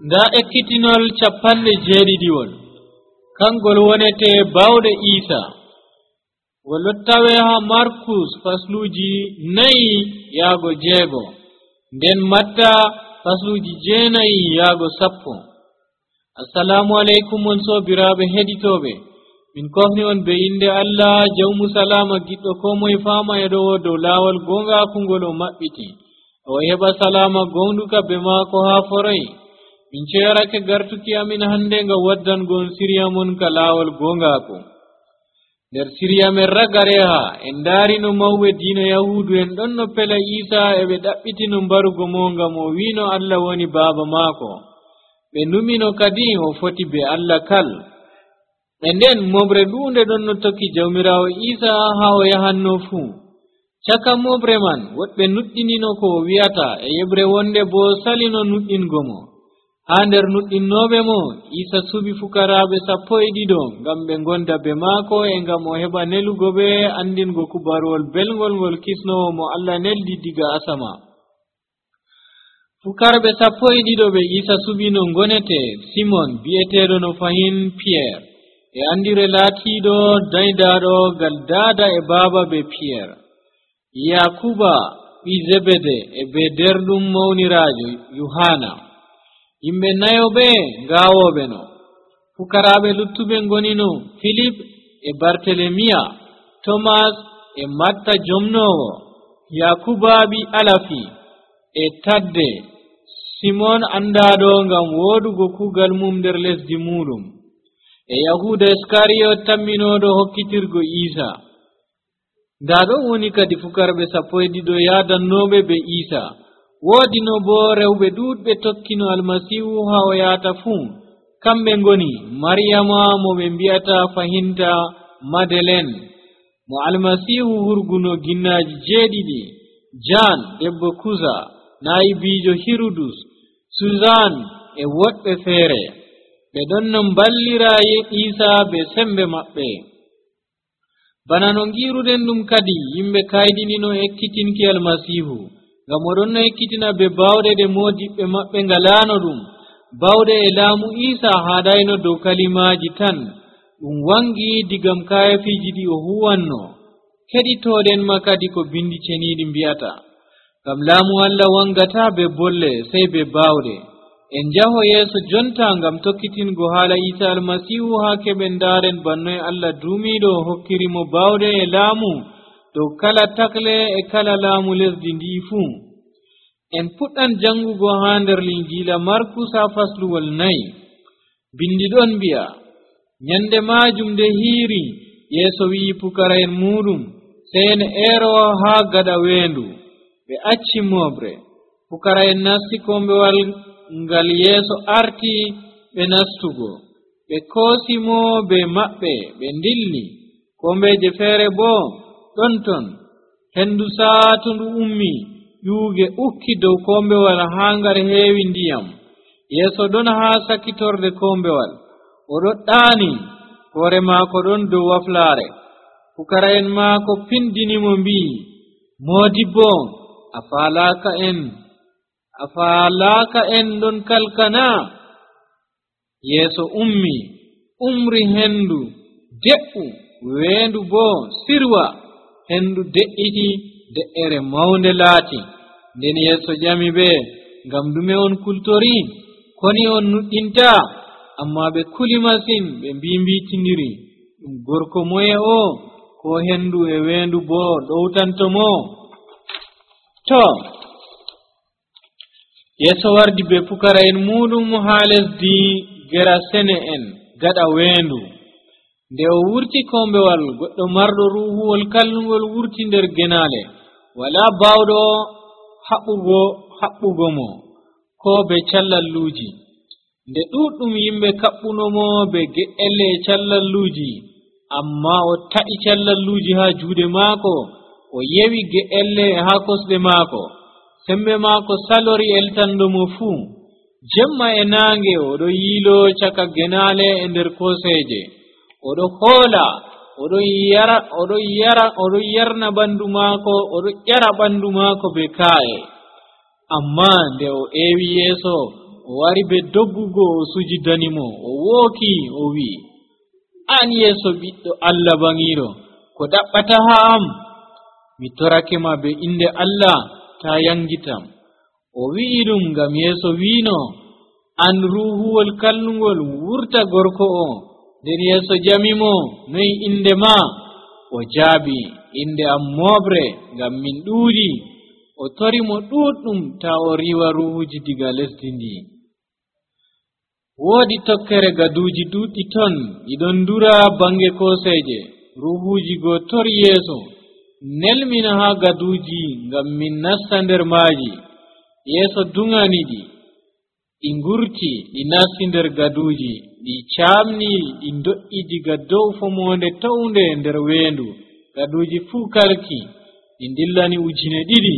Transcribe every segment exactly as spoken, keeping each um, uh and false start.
nda ekkitinol capanɗe jeeɗiɗiwol kangol wonete bawɗe Isa ngol tawe ha Markus fasluji nayi yaago jeego nden Matta fasluji jeenayi yaago sappo. Assalamu alaikum on sobiraɓe heɗitoɓe, min kofni on be inde Allah jawmu salama giɗɗo ko moye fama e ɗo dow laawol gongaku ngol o maɓɓiti o heɓa salama gonduka be maako ha foray. min ceerake gartuki amin hande nga waddangon siriya mon ka laawol gongaku. nder siriya men ragareha en daarino mawɓe diina yahudu en ɗon no pela Isa e ɓe ɗaɓɓitino mbarugo mo ngam o wino Allah woni baaba maako, ɓe numino kadi o foti be Allah kal. e nden moɓre ɗuunde ɗon no tokki jawmirawo Isa ha o yahanno fuu. caka moɓre man woɗɓe nuɗɗinino ko o wi'ata e yeɓre wonde bo salino nuɗɗingo mo. ha nder nuɗɗinnoɓe mo Isa suɓi fukaraɓe sappo e ɗiɗo ngam ɓe gonda be maako e ngam o heɓa nelugo ɓe andingo kubarwol belgol ngol kisnowo mo Allah neldi diga asama. fukarɓe sappo e ɗiɗo ɓe Isa suɓi no gonete Simon bi'eteɗo no fahin Pierre e andire laatiɗo daydaɗo gal daada e baaba be Pierre, Yakuba ɓi Zebede e be derɗum mawnirajo Yohana, yimɓe nayoɓe ngawoɓe no. fukaraɓe luttuɓe ngonino Philip e Bartelemiya, Thomas e Matta jomnowo, Yakuba ɓi Alafi e Tadde, Simon andaɗo ngam wodugo kugal mum nder lesdi muɗum, e Yahuda Iskariyot tamminoɗo hokkitirgo Isa. nda ɗon woni kadi fukarɓe sappo e ɗiɗo yadannoɓe be Isa. woodi no bo rewɓe ɗuɗɓe tokkino almasihu ha o yahata fuu. kamɓe ngoni Maryama mo ɓe mbi'ata fahinta Madeleine mo almasihu hurguno ginnaji jeeɗiɗi, Jan debbo Kuza, nayibijo Hirudus, Suzan e woɗɓe feere. ɓe ɗon no mballira Isa be sembe maɓɓe. bana no ngiruɗen ɗum kadi yimɓe kaydinino ekkitinki almasihu ngam oɗon no ekkitina be bawɗe ɗe modiɓɓe maɓɓe ngalano ɗum. bawɗe e laamu Isa haɗayno dow kalimaji tan, ɗum wangi digam kayafiji ɗi o huwanno. keɗitoɗen ma kadi ko bindi ceniɗi mbi'ata, ngam laamu Allah wangata be bolle sey be bawɗe. en jaho yeeso jonta ngam tokkitingo haala Isa almasihu ha keɓen ndaren bannoye Allah duumiɗo hokkirimo bawɗe e laamu dow kala takle e kala laamu lesdi ndi fuu. en puɗɗan jangugo ha nder linjila Markus ha fasluwol nayi. bindi ɗon mbi'a, nyande majum nde hiiri yeeso wi'i pukara'en muɗum sey en ero ha gaɗa weendu. ɓe acci moɓre. pukara'en nasti kombewal ngal yeeso arti ɓe nastugo. ɓe koosimo be maɓɓe ɓe ndilli. kombeje feere bo ɗon ton. hendu saatundu ummi, ƴuuge ukki dow kombewal ha ngar heewi ndiyam. yeeso ɗon ha sakitorde kombewal, oɗo ɗaani, hoore maako ɗon dow waflaare. pukara'en maako pindinimo mbi'i, moodibbo, a faalaaka en a faalaaka en ɗon kalkana. yeeso ummi, umri hendu de'u, weendu bo sirwa. hendu de'iti, de'ere mawnde laati. nden yeeso ƴami ɓe, ngam dume on kultori? koni on nuɗɗinta? amma ɓe kuli masin, ɓe mbimbitiniri, ɗum gorko moye o, ko hendu e weendu bo ɗowtantomo? to yeeso wardi be pukara'en muɗum ha lesdi Gerasene en gaɗa weendu. nde o wurti kombewal, goɗɗo marɗo ruhuwol kallungol wurti nder genale. wala bawɗo haɓɓugo haɓɓugo mo ko be callalluji. nde ɗuɗɗum yimɓe kaɓɓunomo be ge'elle e callalluji, amma o ta'i callalluji ha juuɗe maako, o yewi ge'elle ha kosɗe maako. sembe maako salori eltandomo fuu. jemma e naange oɗo yiilo caka genale e nder koseje. oɗo hoola, oɗo yara oɗo yara oɗo yarna ɓandu maako, oɗo ƴara ɓandu maako be ka'e. amma nde o ewi yeeso, o o wari be doggugo o sujidanimo o wooki o wi'i, an Yeesu ɓiɗɗo Allah bangiiro, ko ɗaɓɓata haa am? Mi torake ma be inde Allah ta yangitam. O wi'i ɗum ngam Yeesu wiino, an ruuhuwol kallungol wurta gorko o. nden Yeesu jamimo, noy inde ma? O jaabi, inde am Moobre, ngam min ɗuuɗi. O tori mo ɗuɗɗum ta o riiwa ruhuji diga lesdi ndi. Woodi tokkere gaduuji ɗuɗɗi ton ɗiɗon ndura bange koseeje. Ruhuji go tori Yeesu, nelmina haa gaduuji ngam min nasta nder maaji. Yeesu duŋaniɗi, ɗi ngurti ɗi nasti nder gaduuji, ɗi caamni ɗi do'i diga dow fomonde tawnde nder weendu. Gaduuji fuu kalki, ɗi dillani ujine ɗiɗi.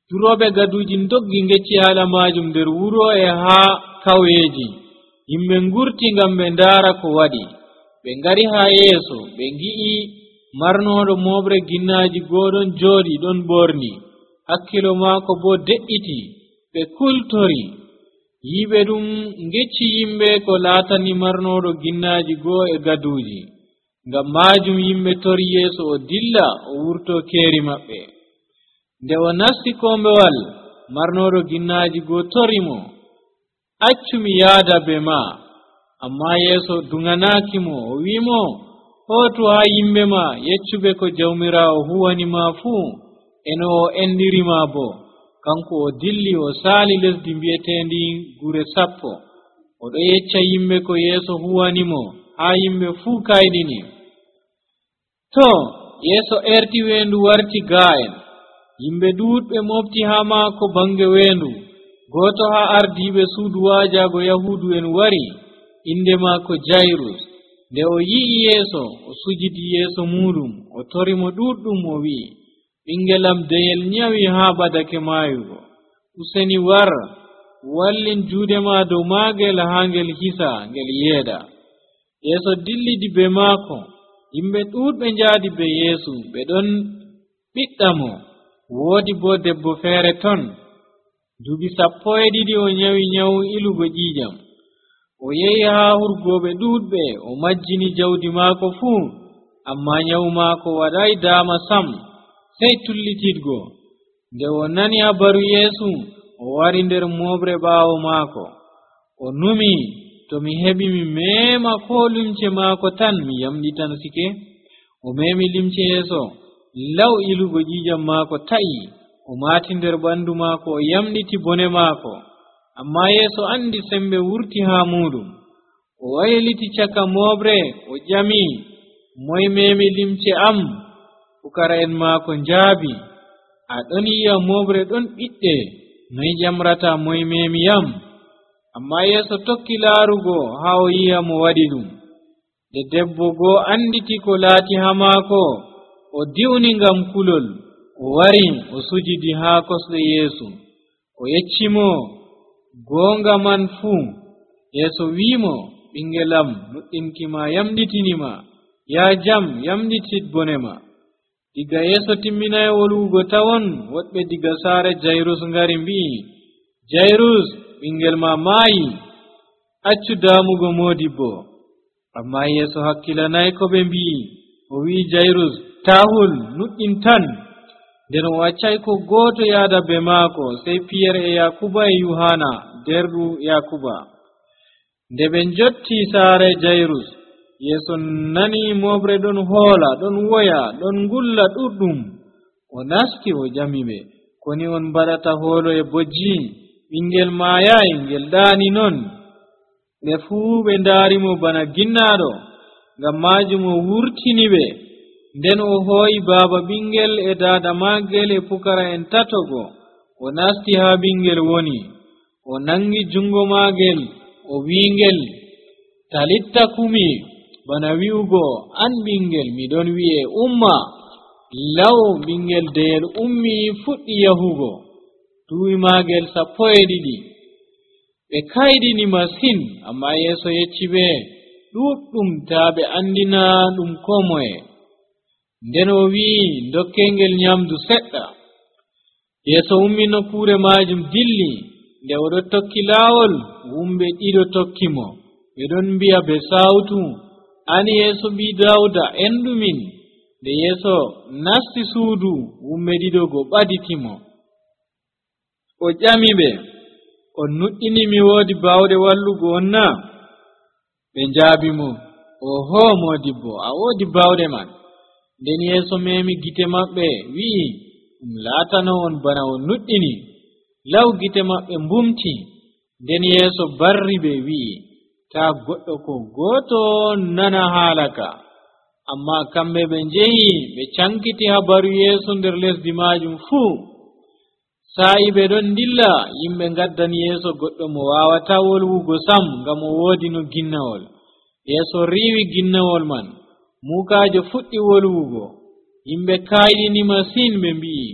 Durooɓe gaduuji doggi ngecci haala maajum nder wuro e haa kaweeji. Yimɓe ngurti ngam ɓe ndaara ko waɗi. Ɓe ngari haa Yeesu, ɓe ngi'i marnooɗo mooɓre ginnaaji gooɗon jooɗi ɗon ɓorni, hakkilo maako boo de'iti. Ɓe kultori. Yiɓe ɗum ngecci yimɓe ko laatani marnooɗo ginnaaji goo e gaduuji. Ngam maajum yimɓe tori Yeesu o dilla o wurto keeri maɓɓe. Nde o nasti kombewal, marnooɗo ginnaaji goo tori mo, accu mi yaada be ma. Ammaa Yeesu duŋanaaki mo, o wi'imo, hootu haa yimɓe ma yeccuɓe ko Jawmiraawo huwani ma fuu, e no o endiri ma boo. Kanko o dilli o saali lesdi mbi'eteendi Gure Sappo. Oɗo yecca yimɓe ko Yeesu huwani mo haa yimɓe fuu kayɗini. To Yeesu erti weendu warti gaa'en. Yimɓe ɗuuɗɓe mofti haa maako bange weendu. Gooto haa ardiiɓe suudu waajaago Yahuudu en wari, inde maako Jayrus. Nde o yi'i Yeesu, o sujidi yeeso muuɗum, o tori mo ɗuɗɗum, o wi'i, ɓingelam deyel nyawi haa badake maayugo. Useni war, wallin juuɗe ma dow maagel haa ngel hisa ngel yeeda. Yeesu dillidi be maako. Yimɓe ɗuuɗɓe njaadi be Yeesu, ɓe ɗon ɓiɗɗa mo. Woodi boo debbo feere ton, duuɓi sappo e ɗiɗi o nyawi nyawu ilugo ƴiiƴam. O yehi haa hurgooɓe ɗuuɗɓe, o majjini jawdi maako fuu, ammaa nyawu maako waɗay daama sam, sey tullitidgo. Nde o nani habaru Yeesu, o wari nder mooɓre ɓaawo maako. O numi, to mi heɓi mi meema koo limce maako tan mi yamɗitan sike. O meemi limce Yeesu, law ilugo ƴiiƴam maako ta'i, o maati nder ɓanndu maako, o yamɗiti bone maako. Ammaa Yeesu andi sembe wurti haa muuɗum. O wayliti caka mooɓre, o ƴami, moy meemi limce am? Pukara'en maako njaabi, aɗon yi'a mooɓre ɗon ɓiɗɗe, noy ƴamrata moy meemi yam? Ammaa Yeesu tokki laarugo haa o yi'a mo waɗi ɗum. Nde debbo goo anditi ko laati haa maako, o diwni ngam kulol, o wari o sujidi haa kosɗe Yeesu. O yeccimo goonga man fuu. Yeesu wi'imo, ɓingelam, nuɗɗinki ma yamɗitinima. Yaa jam, yamɗitit bone ma. Diga Yeesu timminayi wolwugo tawon, woɗɓe diga saare Jayrus ngari mbi'i, Jayrus, ɓingel ma maayi, accu daamugo moodibbo. Ammaa Yeesu hakkilanayi ko ɓe mbi'i. O wi'i Jayrus, taahul, nuɗɗin tan. Nden o waccay ko gooto yaada be maako, sey Piyere e Yakuba e Yuhana, derɗu Yakuba. Nde ɓe njotti saare Jayrus, Yeesu nani mooɓre ɗon hoola, ɗon woya, ɗon ngulla ɗuɗɗum. O nasti o ƴami ɓe, koni on mbaɗata hoolo e bojji? Ɓingel maayayi, ngel ɗaani non. Ɓe fuu ɓe ndaarimo bana ginnaaɗo, ngam maajum o wurtini ɓe. Nden o hooyi baaba ɓingel e daada maagel e pukara'en tatogo. O nasti haa ɓingel woni. O nangi jungo maagel, o wi'ingel, talitta kumi, bana wi'ugo, an ɓingel, miɗon wi'e umma. Law ɓingel deyel ummi fuɗɗi yahugo. Duuɓi maagel sappo e ɗiɗi. Ɓe kayɗini masin, ammaa Yeesu yecci ɓe ɗuɗɗum taa ɓe andina ɗum koo moye. Nden o wi'i, dokkengel nyamdu seɗɗa. Yeesu ummi nokkuure maajum dilli. nde oɗo tokki laawol wumɓe ɗiɗo tokki mo ɓe ɗon mbi'a be sawtu, an yeeso ɓi Dawda endumin. nde yeeso nasti suudu wumɓe ɗiɗo go ɓaditimo. o ƴami ɓe, on nuɗɗini mi woodi bawɗe wallugo on na? ɓe njaabi mo, oho modibbo, a woodi bawɗe man. nden yeeso memi gite maɓɓe wi'i, ɗum laatano on bana on nuɗɗini. law gite maɓɓe mbumti. nden yeeso barri ɓe wi'i, taa goɗɗo ko gooto nana haala ka. amma kamɓe ɓe njehi ɓe cankiti habaru yeeso nder lesdi majum fuu. sa'i ɓe ɗon dilla, yimɓe ngaddani yeeso goɗɗo mo wawata wolwugo sam ngam o woodi no ginnawol. yeeso riiwi ginnawol man, muukaajo fuɗɗi wolwugo. yimɓe kayɗini masin, ɓe mbi'i,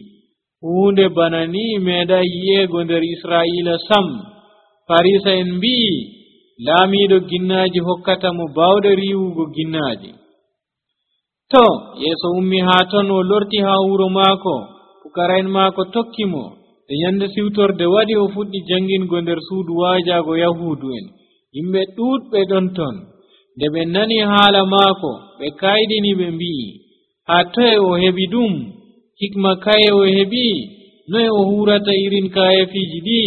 huunde bana ni meeɗa yi'eego nder Israa'ila sam. Farisa en mbi'i, laamiiɗo ginnaaji hokkata mo bawɗe riiwugo ginnaaji. to yeeso ummi haa ton, o lorti haa wuro maako. pukara'en maako tokki mo. nde nyande siwtorde waɗi, o fuɗɗi jangingo nder suudu waajaago Yahuudu en. yimɓe ɗuuɗɓe ɗon ton. nde ɓe nani haala maako, ɓe kayɗini, ɓe mbi'i, haa toye o heɓi ɗum? hikma kaye o heɓi? noye o hurata irin kayefiiji ɗi?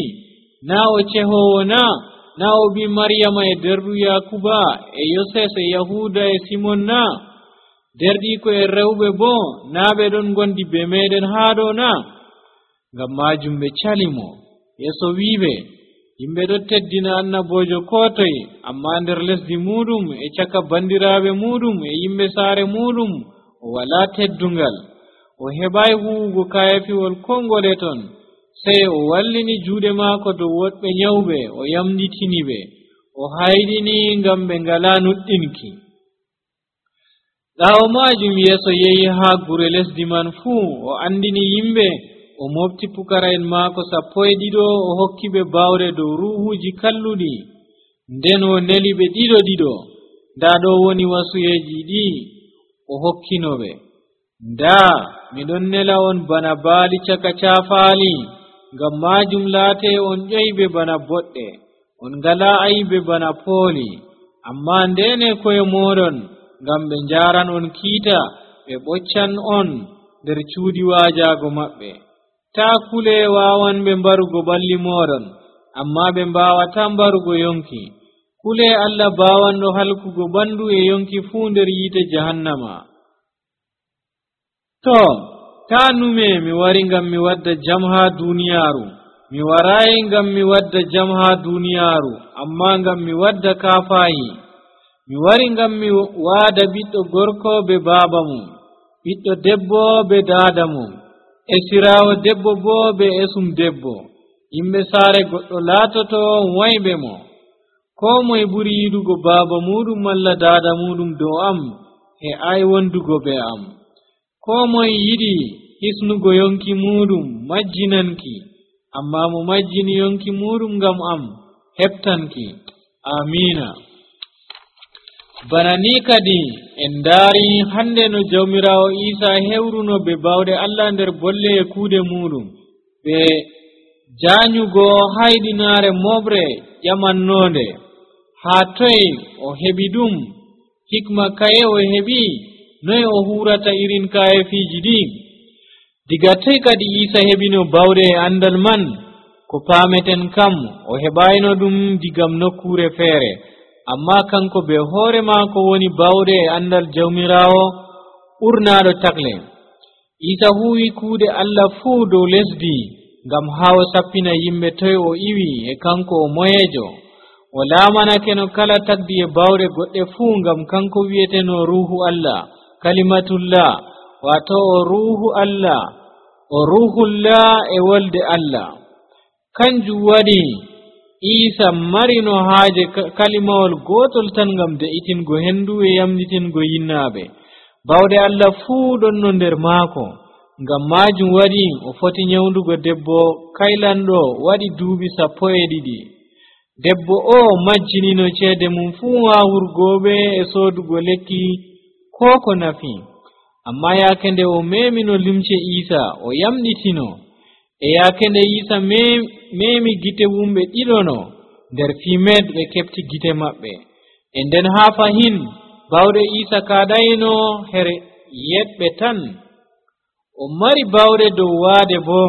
naa o cehowo na? naa o ɓi Maryama e derɗu Yakuba e Yoses e Yahuda e Simon na? derɗiiko e rewɓe boo naa ɓe ɗon gondi be meɗen haa ɗo na? ngam majum ɓe cali mo. yeeso wi'iɓe, yimɓe ɗo teddina annabojo ko toye, amma nder lesdi muɗum e caka bandiraaɓe muɗum e yimɓe saare muɗum o walaa teddungal. o heɓai huwugo kayafiwol kongole ton, sey o wallini juuɗe maako dow woɗɓe nyawɓe, o yamɗitini ɓe, o hayɗini ngam ɓe ngala nuɗɗinki. ɓaawo majum yeeso yehi haa gure lesdi man fuu, o andini yimɓe, o mofti pukara'en maako sappo e ɗiɗo, o hokki ɓe bawɗe dow ruhuuji kalluɗi. nden o neli ɓe ɗiɗo ɗiɗo. ndaa ɗo woni wasuyeeji ɗi o hokkino ɓe. ndaa miɗon nela on bana baali caka caafaali, ngam majum laate on ƴoyɓe bana boɗɗe, on ngala ayiɓe bana pooli. amma ndene koye moɗon, ngam ɓe njaaran on kiita, ɓe ɓoccan on nder cuudi waajaago maɓɓe. taa kule waawan ɓe mbarugo ɓalli moɗon, amma ɓe mbaawata mbarugo yonki. kule Allah baawanɗo halkugo ɓandu e yonki fuu nder yiite jahannama. to taa nume mi wari ngam mi wadda jam haa duuniyaaru. mi warayi ngam mi wadda jam haa duuniyaaru, amma ngam mi wadda kaafaayi. mi wari ngam mi waada ɓiɗɗo gorko be baaba mum, ɓiɗɗo debbo be daada mum, esiraawo debbo boo be esum debbo. yimɓe saare goɗɗo laatoto wayɓe mo. koo moye ɓuri yiɗugo baaba muɗum malla daada muɗum dow am, e ay wondugo be am. koo moye yiɗi hisnugo yonki muɗum majjinanki, amma mo majjini yonki muɗum ngam am heɓtanki. amina. bana ni kadi en ndaari hande no jawmirawo Isa hewruno be bawɗe Allah nder bolle e kuuɗe muɗum, ɓe jaanyugo hayɗinaare moɓre ƴamannonde. haa toye o heɓi ɗum? hikma kaye o heɓi? noye o hurata irin kayefiiji ɗi? diga toy kadi Isa heɓino bawɗe e andal man? ko paameten kam o heɓayno ɗum digam nokkure feere, amma kanko be hoore maako woni bawɗe e andal jawmirawo ɓurnaaɗo takle. Isa huwi kuuɗe Allah fuu dow lesdi ngam haa o sappina yimɓe toye o iwi e kanko o moyeejo. o laamanake no kala tagdi e bawɗe goɗɗe fuu, ngam kanko wi'eteno ruuhu Allah, kalimatullah, wato o ruuhu Allah, o ruuhullah e wolde Allah. kanjum waɗi Isa marino haaje kalimawol gotol tan ngam de'itingo hendu e yamɗitingo yinnaaɓe. bawɗe Allah fuu ɗon no nder maako, ngam majum waɗi o foti nyawdugo debbo kaylanɗo waɗi duuɓi sappo e ɗiɗi. debbo o majjinino ceede mum fuu haa hurgoɓe e soodugo lekki ko ko nafi. amma yaake nde o memino limce Isa, o yamɗitino. e yaake nde Isa memi gite wumɓe ɗiɗono nder fimed ɓe kefti gite maɓɓe. E nden haa fahin bawɗe Isa kaɗayno her yeɓɓe tan, o mari bawɗe dow waade bo.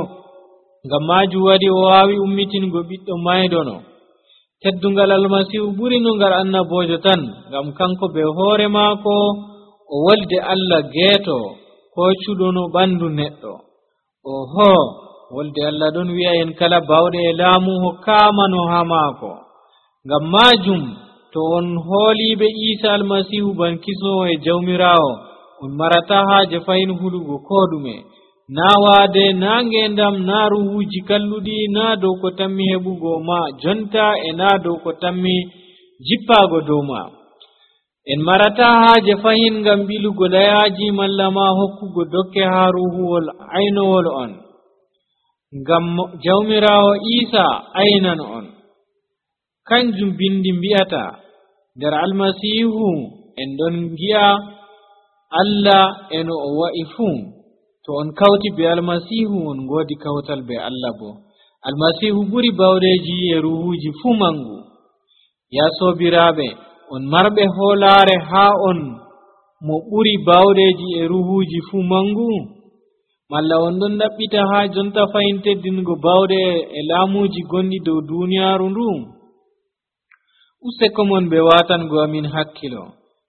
Ngam maajum waɗi o waawi ummitingo ɓiɗɗo maydono. Teddungal Almasihu ɓuri no ngal annabojo tan, ngam kanko be hoore maako o wolde Allah geeto ko cuɗono ɓandu neɗɗo. Oho, wolde Allah ɗon wi'a en kala bawɗe e laamu hokkaamano haa maako. Ngam maajum to on hooliiɓe Isa Almasihu ban kisnowo e Jawmiraawo, on marata haaje fayin hulugo ko ɗume, naa waade, naa ngendam, naa ruhuuji kalluɗi, naa dow ko tammi heɓugo ma jonta, e naa dow ko tammi jippaago dow ma. En marata haaje fahin ngam ɓilugo layaaji malla ma hokkugo dokke haa ruhuwol aynowol on, ngam Jawmiraawo Isa aynan on. Kanjum bindi mbi'ata nder Almasihu en ɗon ngi'a Allah eno o wa'i fuu. To on kawti be Almasihu on ngoodi kawtal be Allah bo. Almasihu ɓuri bawɗeeji e ruhuuji fuu mangu. Ya soobiraaɓe, on marɓe hoolaare haa on mo ɓuri bawɗeeji e ruhuuji fuu mangu, malla on ɗon ɗaɓɓita haa jonta fayin teddingo bawɗe e laamuuji gonɗi dow duuniyaaru ndu? Useko mon ɓe waatango amin hakkilo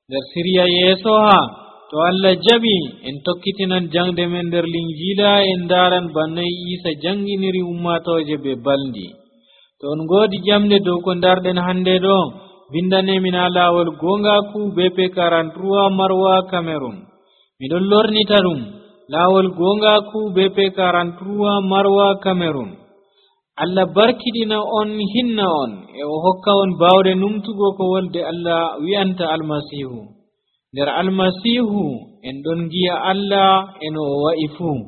nder siriya yeeso haa to Allah jaɓi en tokkitinan jangde men nder Linjiila en ndaaran bannoy Isa janginiri ummatooje be balndi. To on ngoodi ƴamde dow ko ndarɗen hannde ɗo, bindanemin haa laawol gongaku B P quarante-trois Marwa Cameroon. Miɗon lornita ɗum laawol gongaku B P quarante-trois Marwa Cameroon. Allah barkiɗina on, hinna on, e o hokka on bawɗe numtugo ko wolde Allah wi'anta Almasihu. Nder Almasihu en ɗon ngi'a Allah eno o wa'i fuu.